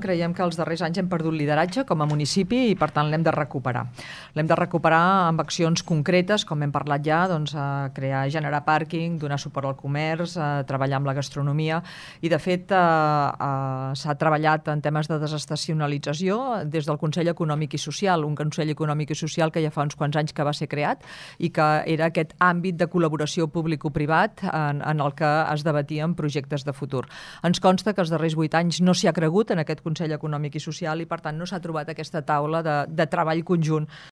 creiem que els darrers anys hem perdut lideratge com a municipi i, per tant, l'hem de recuperar. L'hem de recuperar amb accions concretes, com hem parlat ja, doncs, generar pàrquing, donar suport al comerç, treballar amb la gastronomia i, de fet, s'ha treballat en temes de desestacionalització des del Consell Econòmic i Social, un Consell Econòmic i Social que ja fa uns quants anys que va ser creat i que era aquest àmbit de col·laboració públic-privat en el que es debatien projectes de futur. Ens consta que els darrers 8 anys no s'hi ha cregut en aquest Consell Econòmic i Social i, per tant, no s'ha trobat aquesta taula de treball conjunt